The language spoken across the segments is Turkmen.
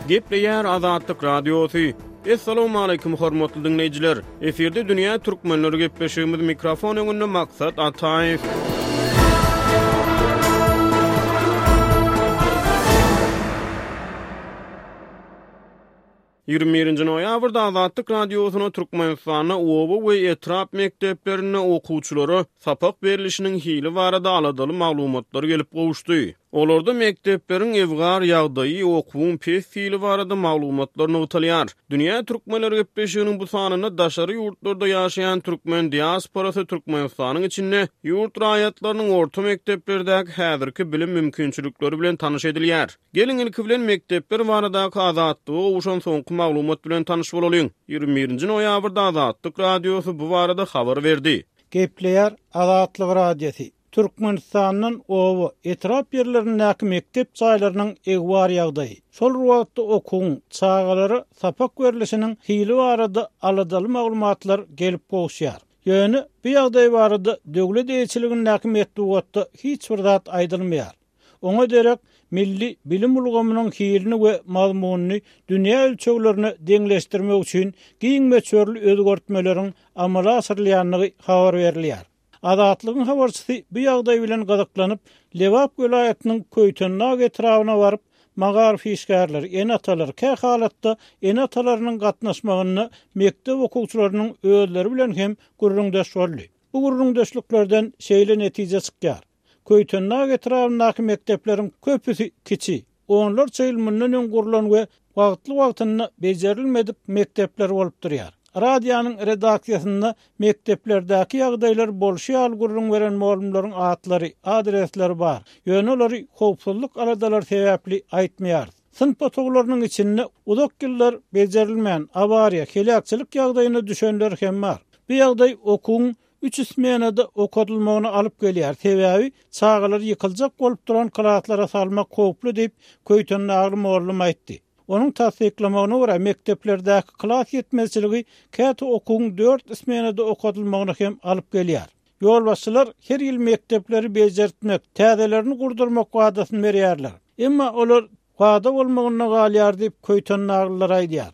Gepleýär Azatlyk Radiosy. Assalamualaikum hormatly diňleýjiler. Efirde dünýä türkmenleri gepleşigimiz mikrofon öňünde Maksat Ataýew. 21 noýabrda Azatlyk Radiosyna Türkmenistanda oba we etrap mekdeplerinde okuwçylara sapak berlişiniň hili barada aladaly maglumatlar gelip gowuşdy. Olarda mekdepleriň ebgar ýagdaýy, okuwyň pes hili barada maglumatlar nygtalýar. Dünýä türkmenleri gepleşiginiň bu sanynda daşary ýurtlarda ýaşaýan türkmen diasporasy Türkmenistanyň içinde ýurt raýatlarynyň orta mekdeplerdäki häzirki bilim mümkinçilikleri bilen tanyş edilýär. Geliň, ilki bilen mekdepler baradaky Azatlyga gowşan soňky maglumat bilen tanyş bolalyň. 21-nji noýabrda Azatlyk Radiosy bu barada habar berdi. Gepleýär Azatlyk Radiosy, Türkmenistandan oba, etrap ýerlerindäki mekdep jaýlarynyň egbar ýagdaýy, şol bir wagtda okuwyň, çagalara sapak berlişiniň hili barada aladaly maglumatlar gelip gowuşýar. Ýöne bu ýagdaý barada döwlet eýeçiligindäki metbugatda hiç bir zat aýdylmaýar. Oňa derek milli bilim ulgamynyň hilini we mazmunyny dünýä ölçeglerine deňleşdirmek üçin giň möçberli özgertmeleriň amala aşyrylýandygy habar berilýär. Azatlygyň habarçysy bu ýagdaý bilen gyzyklanyp, Lebap welaýatynyň Köýtendag etrabyna baryp, magaryf işgärleri, ene-atalar, kä halatda ene-atalarynyň gatnaşmagynda mekdep okuwçylarynyň özleri bilen hem gürrüňdeş boldy. Bu gürrüňdeşliklerden şeýle netije çykýar. Köýtendag etrabyndaky mekdepleriň köpüsi kiçi, onlarça ýyl mundan öň gurlan we wagtly-wagtynda bejerilmedik mekdepler bolup durýar. Radionyň redaksiýasynda mekdeplerdäki ýagdaýlary bolşy ýaly gürrüň beren mugallymlaryň atlary, adresleri bar. Ýöne olary howpsuzlyk aladalary sebäpli aýtmaýarys. Synp otaglarynyň içinde uzak ýyllar bejerilmän, awariýa, heläkçilik ýagdaýyna düşenleri hem bar. Bu ýagdaý okuwyň üç smenada okadylmagyna alyp gelýär, sebäbi çagalary ýykyljak bolup duran klaslara salmak howply diýip, köýtendagly mugallym aýtdy. Onuň tassyklamagyna görä, mekdeplerdäki klas ýetmezçiligi käte okuwyň dört smenada okadylmagyna hem alyp gelýär. Ýolbaşçylar her ýyl mekdepleri bejertmek, täzelerini gurdurmak wadasyny berýärler. Emma olar wada bolmagynda galýar diýip, köýtendaglylar aýdýar.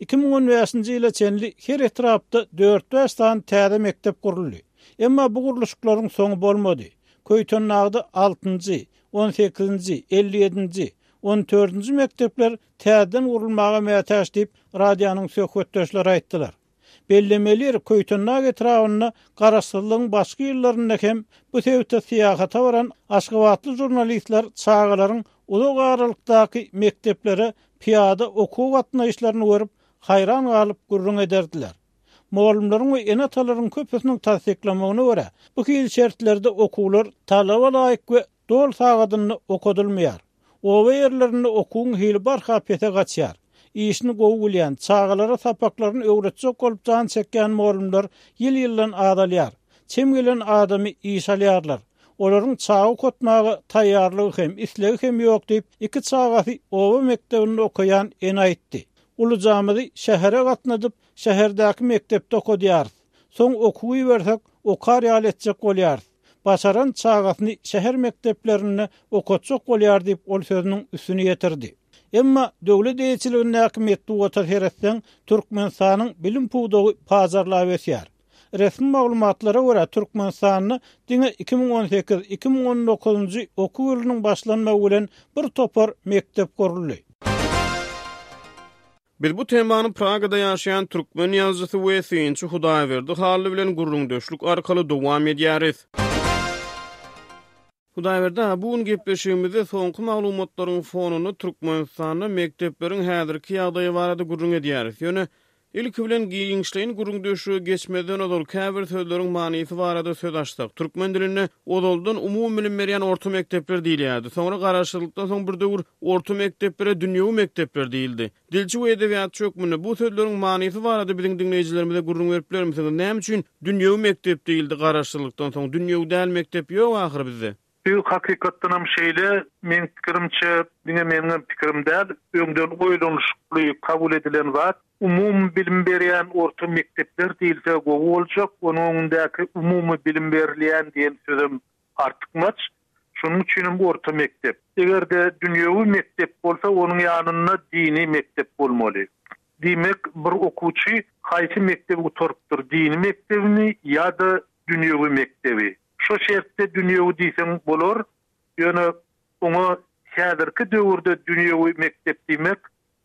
2015-nji ýyla çenli her etrapda dört-bäş sany täze mekdep guruldy. Emma bu gurluşyklaryň soňy bolmady. Köýtendagda altynjy, on sekizinji, 57-nji, on dördünji mekdepler täzeden gurulmaga mätäç diýip, radionyň söhbetdeşleri aýtdylar. Bellemeli ýeri, Köýtendag etrabynda Garaşsyzlygyň başky ýyllarynda hem bu sebite syýahata baran aşgabatly žurnalistler çagalaryň uzak aralykdaky mekdeplere pyýada okuwa gatnaýyşlaryny görüp, haýran galyp gürrüň ederdiler. Mugallymlaryň we ene-atalaryň köpüsiniň tassyklamagyna görä, bu hili şertlerde okuwlar talaba laýyk we doly sagadynda okadylmaýar. Oba ýerlerinde okuwyň hili barha pese gaçýar. Işini gowy bilýän, çagalara sapaklaryny öwretjek bolup jan çekýän mugallymlar ýyl-ýyldan azalýar. Çem gelen adamy işe alýarlar. Olaryň çaga okatmaga taýýarlygy hem, islegi hem ýok diýip, iki çagasy oba mekdebinde okaýan ene aýtdy. Ulujamyzy şähere gatnadyp, şäherdäki mekdepde okadýarys. Soň okuwa ibersek, okar ýaly etjek bolýarys. Başaran çagasyny şäher mekdeplerinde okatjak bolýar diýip, ol sözüniň üstüni ýetirdi. Emma döwlet eýeçiligindäki metbugata seretseň, Türkmenistanyň bilim pudagy pajarlap ösýär. Resmi maglumatlara görä, Türkmenistanda diňe 2018, 2019-njy okuw ýylynyň başlanmagy bilen bir topar mekdep guruldy. Biz bu temany Pragada ýaşaýan türkmen ýazyjysy we synçy Hudaýberdi Hally bilen gürrüňdeşlik arkaly dowam edýäris. Hudaýberdi aga, bu gün gepleşigimizde soňky maglumatlaryň fonunda Türkmenistanda mekdepleriň häzirki ýagdaýy barada gürrüň edýäris. Ýöne, ilki bilen giňişleýin gürrüňdeşlige geçmezden ozal käbir sözleriň manysy barada söz açsak. Türkmen dilinde ozaldan umumybilim berýän orta mekdepler diýilýärdi. Soňra garaşsyzlykdan soň bir döwür orta mekdeplere dünýewi mekdepler diýildi. Dilçi we edebiýatçy hökmünde bu sözleriň manysy barada biziň diňleýjilerimize gürrüň berip bilermisiňiz? Näme üçin dünýewi mekdep diýildi garaşsyzlykdan soň? Dünýewi däl mekdep ýok ahyry bizde. Bu hakykatdanam şeýle, meň pikirimçe, diňe meniňem pikirim däl, öňden oýlanyşykly kabul edilen zat, umumy bilim berýän orta mekdepler diýilse gowy boljak, onuň öňündäki umumy bilim berilýän diýen sözem artykmaç. Şonuň üçinem orta mekdep. Eger-de dünýewi mekdep bolsa, onuň ýanynda dini mekdep bolmaly. Diýmek, bir okuwçy haýsy mekdebi gutarypdyr, dini mekdebimi ýa-da dünýewi mekdebi? Şo şertde dünýewi diýseň bolar, ýöne oňa häzirki döwürde dünýewi mekdep diýmek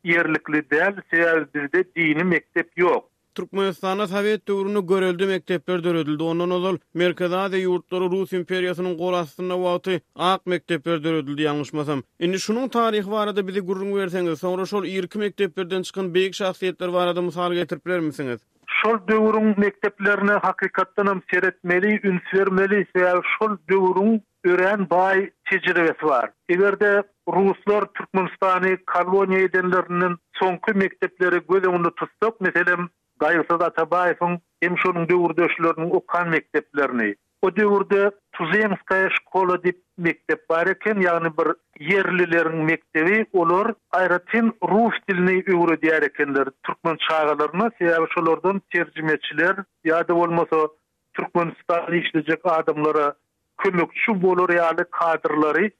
ýerlikli däl, sebäbi bizde dini mekdep ýok. Türkmenistanda sowet döwründe görelde mekdepler döredildi. Ondan ozal Merkezi Aziýa ýurtlary Rus imperiýasynyň gol astynda wagty ak mekdepler döredildi ýalňyşmasam. Indi şunuň taryhy barada bizi gürrüň berseňiz, soňra şol irki mekdeplerden çykan beýik şahsyýetler barada mysal getirip bilermisiňiz? Şol döwrüň mekdeplerine hakykatdanam seretmeli, üns bermeli, sebäbi şol döwrüň örän baý tejribesi bar. Eger-de ruslar Türkmenistany koloniýa edenlerinden soňky mekdepleri göz öňünde tutsak, meselem, Gaýgysyz Atabaýewiň hem şonuň döwürdeşleriniň okan mekdeplerini, o döwürde Tuzemskaýa şkola diýip mekdep bar eken, ýagny bir ýerlileriň mekdebi, olar aýratyn rus dilini öwredýär ekenler türkmen çagalaryna, sebäbi şolardan terjimeçiler ýa-da bolmasa Türkmenistanda işlejek adamlara kömekçi bolar ýaly kadrlary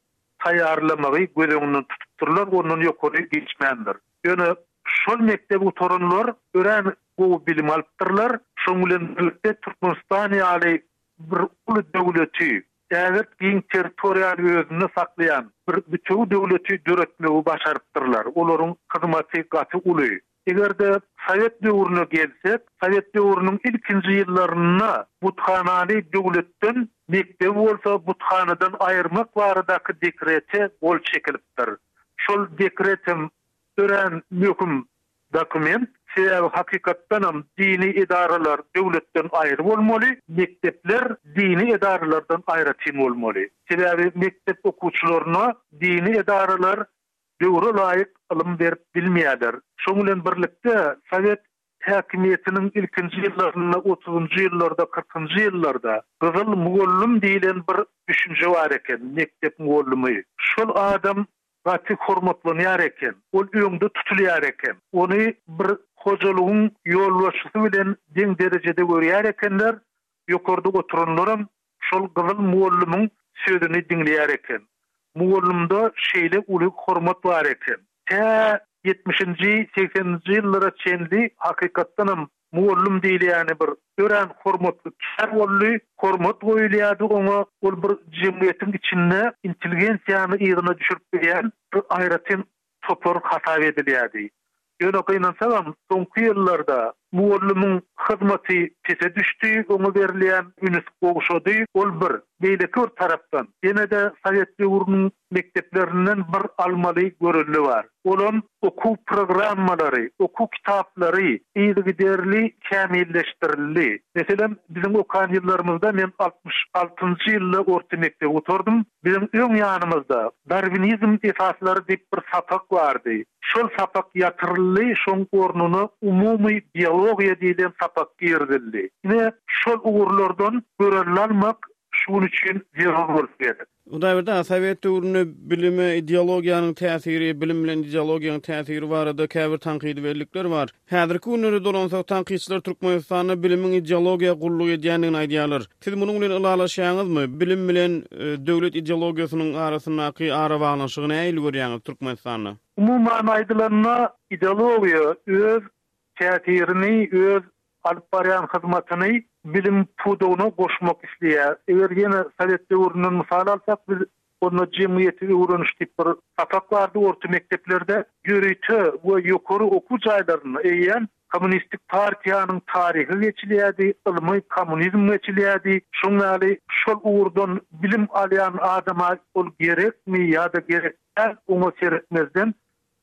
taýýarlamagy göz öňünde tutupdyrlar, ondan ýokary geçmändir. Ýöne şol mekdebi gutaranlar örän gowy bilim alypdyrlar. Şonuň bilen birlikde Türkmenistan ýaly bir uly döwleti, ägirt giň territoriýany özünde saklaýan bir bütewi döwleti döretmegi başarypdyrlar. Olaryň hyzmaty gaty uly. Eger-de sowet döwrüne gelsek, sowet döwrüniň ilkinji ýyllarynda buthanany döwletden, mekdebi bolsa buthanadan aýyrmak baradaky dekrete gol çekilipdir. Şol dekret hem örän möhüm dokument, sebäbi hakykatdanam dini edaralar döwletden aýry bolmaly, mekdepler dini edaralardan aýratyn bolmaly. Sebäbi mekdep okuwçylaryna dini edaralar döwre laýyk ylym berip bilmeýärler. Şoň bilen birlikde, sowet häkimiýetiniň ilkinji ýyllarynda, otuzynjy ýyllarda, kyrkynjy ýyllarda gyzyl mugallym diýlen bir düşünje bar eken, mekdep mugallymy. Şol adam gaty hormatlanýar eken, ol öňde tutulýar eken. Ony bir hojalygyň ýolbaşçysy bilen deň derejede görýär ekenler, ýokarda oturanlaram Şol gyzyl mugallymyň sözüni diňleýär eken. Mugallymda şeýle uly hormat bar eken. Tä ýetmişinji, segseninji ýyllara çenli hakykatdanam mugallym diýilýäni bir örän hormatly kär boldy. Hormat goýulýardy oňa. Ol bir jemgyýetiň içinde intelligensiýany yzyna düşürip bilýän bir aýratyn topar hasap edilýärdi. Ýöne gynansagam, soňky ýyllarda mugallymyň hyzmaty pese düşdi, oňa berilýän üns gowşady. Ol bir. Beýleki bir tarapdan, ýene-de sowet döwrüniň mekdeplerinden bir almaly görelde bar. Olam okuw programmalary, okuw kitaplary yzygiderli kämilleşdirildi. Meselem, biziň okan ýyllarymyzda men 66-njy ýylda orta mekdebi gutardym. Biziň öň ýanymyzda Darwinizm esaslary diýip bir sapak bardy. Şol sapak ýatyryldy, şoň ornuna umumy biologiýa diýlen sapak girizildi. Ine, şol ugurlardan görelde almak şu gün üçin zerur bolup gerek. Hudaýberdi aga, sowet döwründe bilime ideologiýanyň täsiri, bilim bilen ideologiýanyň täsiri barada käbir tankydy bellikler bar. Häzirki günlere dolansak, tankytçylar Türkmenistanda bilimiň ideologiýa gulluk edýändigini aýdýarlar. Siz munuň bilen ylalaşýaňyzmy? Bilim bilen döwlet ideologiýasynyň arasyndaky arabaglanyşygy nähili görýäňiz Türkmenistanda? Umuman aýdylanda, ideologiýa öz täsirini, öz alyp barýan hyzmatyny bilim pudagyna goşmak isleýär. Eger ýene sowet döwründen mysal alsak, biz Onda jemgyýeti öwreniş diýip bir sapak bardy orta mekdeplerde. Ýörite we ýokary okuw jaýlarynda eýýäm Kommunistik partiýanyň taryhy geçilýärdi, ylmy kommunizm geçilýärdi. Şoň ýaly şol ugurdan bilim alýan adama ol gerekmi ýa-da gerek däl oňa seretmezden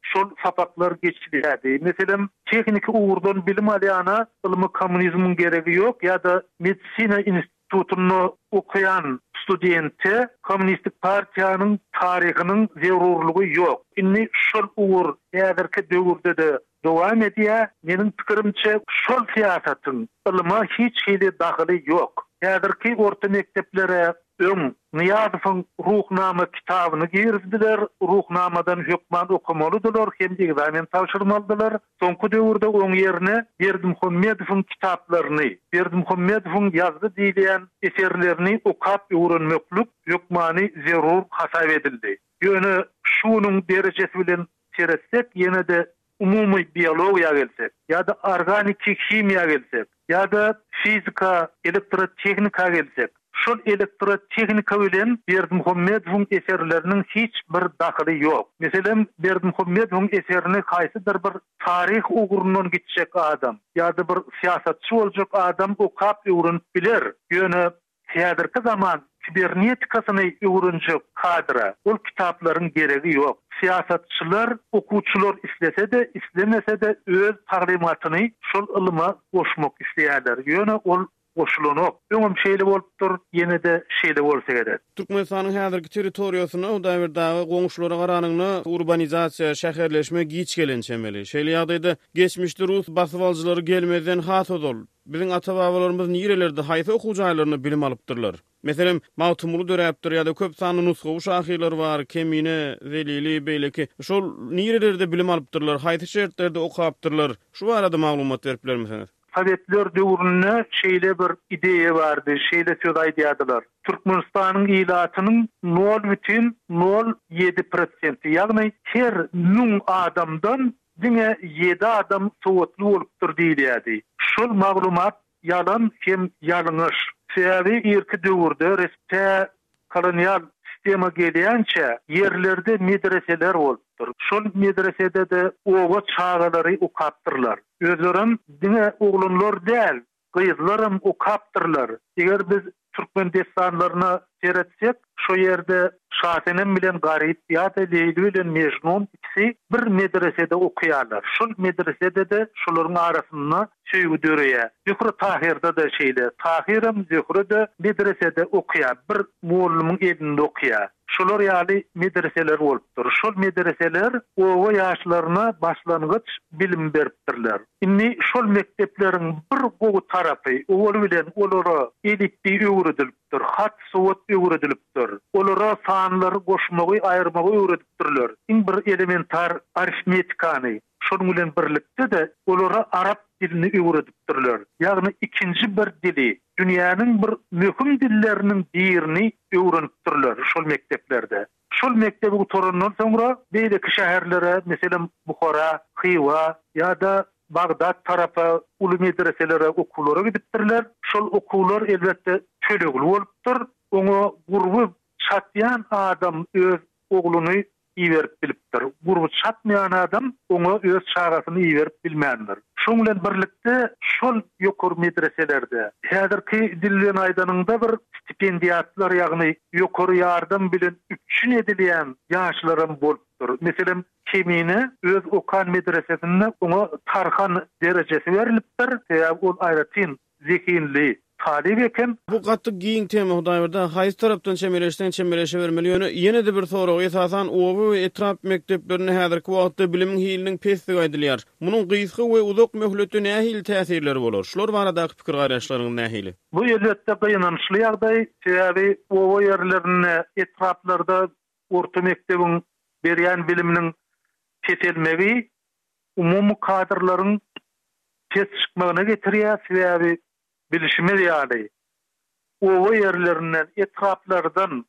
şol sapaklar geçilýärdi. Meselem, tehniki ugurdan bilim alýana ylmy kommunizmiň geregi ýok ýa-da medisina institutynda okaýan studente kommunistik partiýanyň taryhynyň zerurlygy ýok. Indi şol ugur häzirki döwürde-de dowam edýär. Meniň pikirimçe, şol syýasatyň ylyma hiç hili dahyly ýok. Häzirki orta mekdeplere. Öň Nyýazowyň Ruhnama kitabyny girizdiler, Ruhnamadan hökman okamalydylar hem ekzamen tabşyrmalydylar. Soňky döwürde oň ýerine Berdimuhamedowyň kitaplaryny, Berdimuhamedowyň ýazdy diýilýän eserlerini okap öwrenmeklik hökmany zerur hasap edildi. Ýöne şu günüň derejesi bilen seretsek, ýene-de umumy biologiýa gelsek, ýa-da organiki himiýa gelsek, ýa-da fizika, elektrotehnika gelsek, şol elektrotehnika bilen Berdimuhamedowyň eserleriniň hiç bir dahyly ýok. Meselem, Berdimuhamedowyň eserini haýsydyr bir taryh ugrundan gitjek adam ýa-da bir syýasatçy boljak adam okap öwrenip biler, ýöne Häzirki zaman kibernetikasyny öwrenjek kadra ol kitaplaryň geregi ýok. Syýasatçylar, okuwçylar islese-de, islemese-de öz taglymatyny şol ylyma goşmak isleýärler. Ýöne ol goşulanok. Öňem şeýle bolupdyr, ýene-de şeýle bolsa gerek. Türkmenistanyň häzirki territoriýasynda Hudaýberdi aga goňşulara garanyňda urbanizasiýa, şäherleşme giç gelen çemeli. Şeýle ýagdaýda geçmişde rus basybalyjylary gelmezden has ozal, Biziň ata-babalarymyz nirelerde, haýsy okuw jaýlarynda bilim alypdyrlar? Meselem, Magtymguly döräpdir ýa-da köp sanly nusgawy şahyrlar bar, Kemine, Zelili, beýleki. Şol nirelerde bilim alypdyrlar, haýsy şertlerde okapdyrlar? Şu barada maglumat berip bilermisiňiz? Sowetler döwründe şeýle bir ideýa bardy, şeýle söz aýdýardylar, Türkmenistanyň ilatynyň nol bütin nol ýedi prosenti, ýagny her müň adamdan Diňe ýedi adam sowatly bolupdyr diýilýärdi. Şol maglumat ýalan hem ýalňyş. Sebäbi irki döwürde resp tä kolonial sistema gelýänçä ýerlerde medreseler bolupdyr. Şol medresede-de oba çagalary okapdyrlar. Özlerem diňe oglanlar däl, Gyzlaram okapdyrlar. Eger biz türkmen dessanlaryna seretsek, şo ýerde Şasenem bilen Garyp ýa-da Leýli bilen Mejnun ikisi bir medresede okaýarlar. Şol medresede-de şolaryň arasynda söýgi döreýär. Zöhre Tahyrda-da şeýle. Tahyram, Zöhre-de medresede okaýar, bir mollumyň elinde okaýar. Şolar ýaly medreseler bolupdyr. Şol medreseler oba ýaşlaryna başlangyç bilim beripdirler. Indi şol mekdepleriň bir gowy tarapy, owaly bilen olara elipbiý öwredilipdir, hat-sowat öwredilipdir. Olara sanlary goşmagy, aýyrmagy öwredipdirler. Iň bir elementar arifmetikany, şonuň bilen birlikde-de olara arap dilini öwredipdirler. Ýagny ikinji bir dili, dünýäniň bir möhüm dilleriniň birini öwrenipdirler şol mekdeplerde. Şol mekdebi gutarandan soňra beýleki şäherlere, meselem, Buhara, Hywa ýa-da Bagdat tarapa uly medreselere okuwlara gidipdirler. Şol okuwlar, elbetde, tölegli bolupdyr. Oňa gurby çatýan adam öz ogluny iberip bilipdir. Gurby çatmaýan adam oňa öz çagasyny iberip bilmändir. Şoň bilen birlikde şol ýokary medreselerde, häzirki dil bilen aýdanyňda bir stipendiatlar, ýagny ýokary ýardam bilen üpjün edilýän ýaşlaram bolupdyr. Meselem, Kemine öz okan medresesinde oňa tarhan derejesi berlipdir, sebäbi ol aýratyn zehinli talyp eken. Bu gaty giň tema Hudaýberdi aga, haýsy tarapdan çemeleşseň çemeleşebermeli, ýöne ýene-de bir sorag, esasan oba we etrap mekdeplerinde häzirki wagtda bilimiň hiliniň pesdigi aýdylýar. Munuň gysga we uzak möhletde nähili täsirleri bolar? Şular baradaky pikir-garaýyşlaryňyz nähili? Bu elbetde gynançly ýagdaý, sebäbi oba ýerlerinde, etraplarda orta mekdebiň berýän biliminiň peselmegi umumy kadrlaryň pes çykmagyna getirýär, sebäbi bilşimiz ýaly, oba ýerlerinden, etraplardan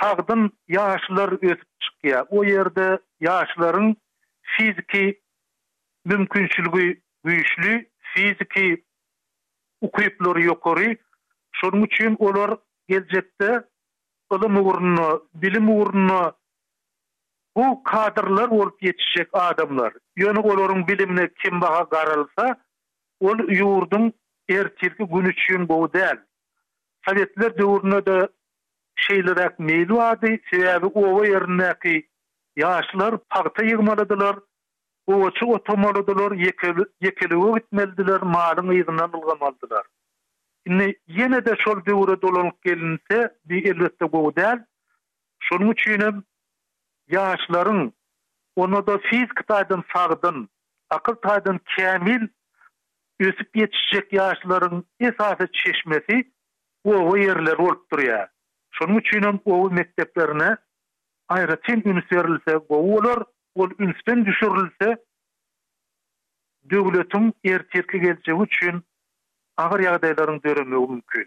sagdyn ýaşlar ösüp çykýar. O ýerde ýaşlaryň fiziki mümkinçiligi güýçli, fiziki ukyplary ýokary. Şonuň üçin olar geljekde ylym ugrunda, bilim ugrunda Bu kadrlar bolup ýetişjek adamlar. Ýöne olaryň bilimine kembaha garalsa, ol ýurduň ertirki güni üçin gowy däl. Sowetler döwründe-de şeýleräk meýil bardy, sebäbi oba ýerindäki ýaşlar pagta ýygmalydylar, gowaça otamalydylar, ýekelige gitmelidiler, malyň yzyndan ylgamalydylar. Indi ýene-de şol döwre dolanyp gelinse, bi elbetde gowy däl. Şonuň üçinem ýaşlaryň, onda-da fiziki taýdan sagdyn, akyl taýdan kämil ösüp ýetişjek ýaşlaryň esasy çeşmesi oba ýerleri bolup durýar. Şonuň üçinem oba mekdeplerine aýratyn üns berilse gowy bolar. Ol ünsden düşürilse, döwletiň ertirki geljegi üçin agyr ýagdaýlaryň döremegi mümkin.